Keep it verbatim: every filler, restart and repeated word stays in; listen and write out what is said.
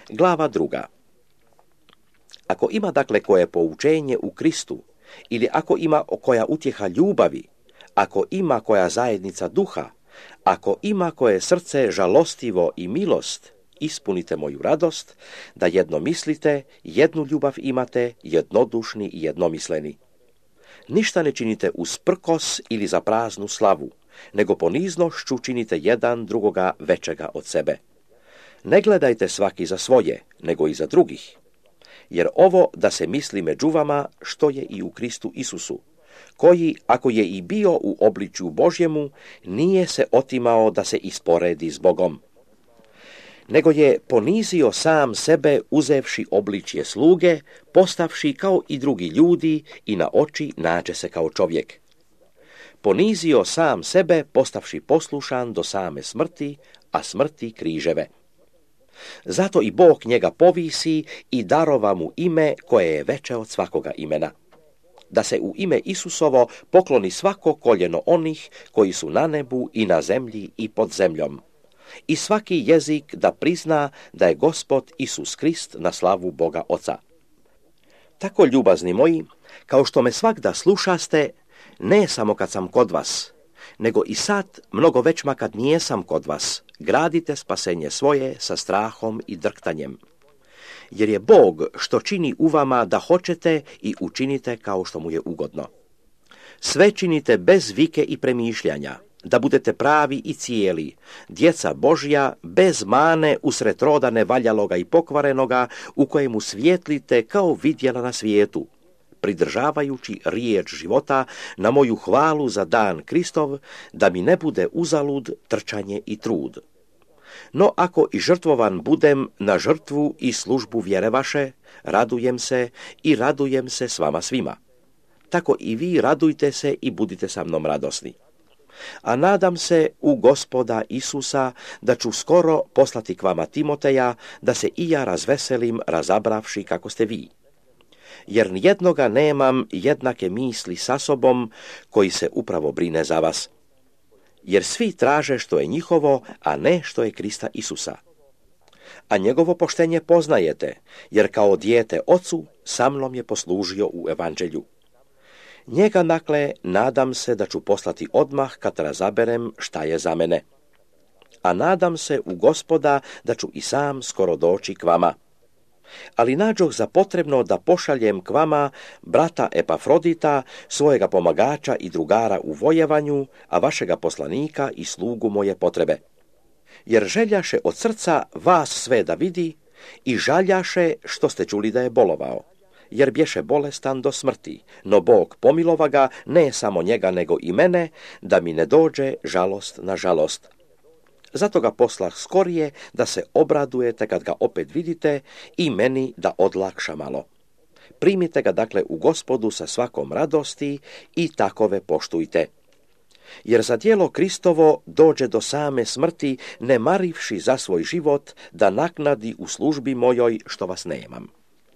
Glava druga. Ako ima dakle koje poučenje u Kristu, ili ako ima koja utjeha ljubavi, ako ima koja zajednica duha, ako ima koje srce žalostivo i milost, ispunite moju radost, da jedno mislite, jednu ljubav imate, jednodušni i jednomisleni. Ništa ne činite uz prkos ili za praznu slavu, nego poniznošću činite jedan drugoga većega od sebe. Ne gledajte svaki za svoje, nego i za drugih. Jer ovo da se misli među vama što je i u Kristu Isusu, koji, ako je i bio u obličju Božjemu, nije se otimao da se isporedi s Bogom, nego je ponizio sam sebe uzevši obličje sluge, postavši kao i drugi ljudi i na oči nađe se kao čovjek. Ponizio sam sebe postavši poslušan do same smrti, a smrti križeve. Zato i Bog njega povisi i darova mu ime koje je veće od svakoga imena. Da se u ime Isusovo pokloni svako koljeno onih koji su na nebu i na zemlji i pod zemljom. I svaki jezik da prizna da je Gospod Isus Krist na slavu Boga Oca. Tako, ljubazni moji, kao što me svakda slušaste, ne samo kad sam kod vas, nego i sad, mnogo većma kad nijesam kod vas, gradite spasenje svoje sa strahom i drktanjem. Jer je Bog što čini u vama da hoćete i učinite kao što mu je ugodno. Sve činite bez vike i premišljanja, da budete pravi i cijeli, djeca Božja, bez mane usred roda nevaljaloga i pokvarenoga, u kojemu svijetlite kao vidjela na svijetu, pridržavajući riječ života na moju hvalu za dan Kristov, da mi ne bude uzalud trčanje i trud. No ako i žrtvovan budem na žrtvu i službu vjere vaše, radujem se i radujem se s vama svima. Tako i vi radujte se i budite sa mnom radosni. A nadam se u Gospoda Isusa da ću skoro poslati k vama Timoteja, da se i ja razveselim razabravši kako ste vi. Jer nijednoga nemam jednake misli sa sobom koji se upravo brine za vas. Jer svi traže što je njihovo, a ne što je Krista Isusa. A njegovo poštenje poznajete, jer kao dijete ocu sa mnom je poslužio u evanđelju. Njega, dakle, nadam se da ću poslati odmah kad razaberem šta je za mene. A nadam se u Gospoda da ću i sam skoro doći k vama. Ali nađoh za potrebno da pošaljem k vama brata Epafrodita, svojega pomagača i drugara u vojevanju, a vašega poslanika i slugu moje potrebe. Jer željaše od srca vas sve da vidi i žaljaše što ste čuli da je bolovao. Jer bješe bolestan do smrti, no Bog pomilova ga, ne samo njega nego i mene, da mi ne dođe žalost na žalost. Zato ga poslah skorije da se obradujete kad ga opet vidite i meni da odlakša malo. Primite ga dakle u Gospodu sa svakom radosti i takove poštujte. Jer za djelo Kristovo dođe do same smrti, ne marivši za svoj život da naknadi u službi mojoj što vas nemam.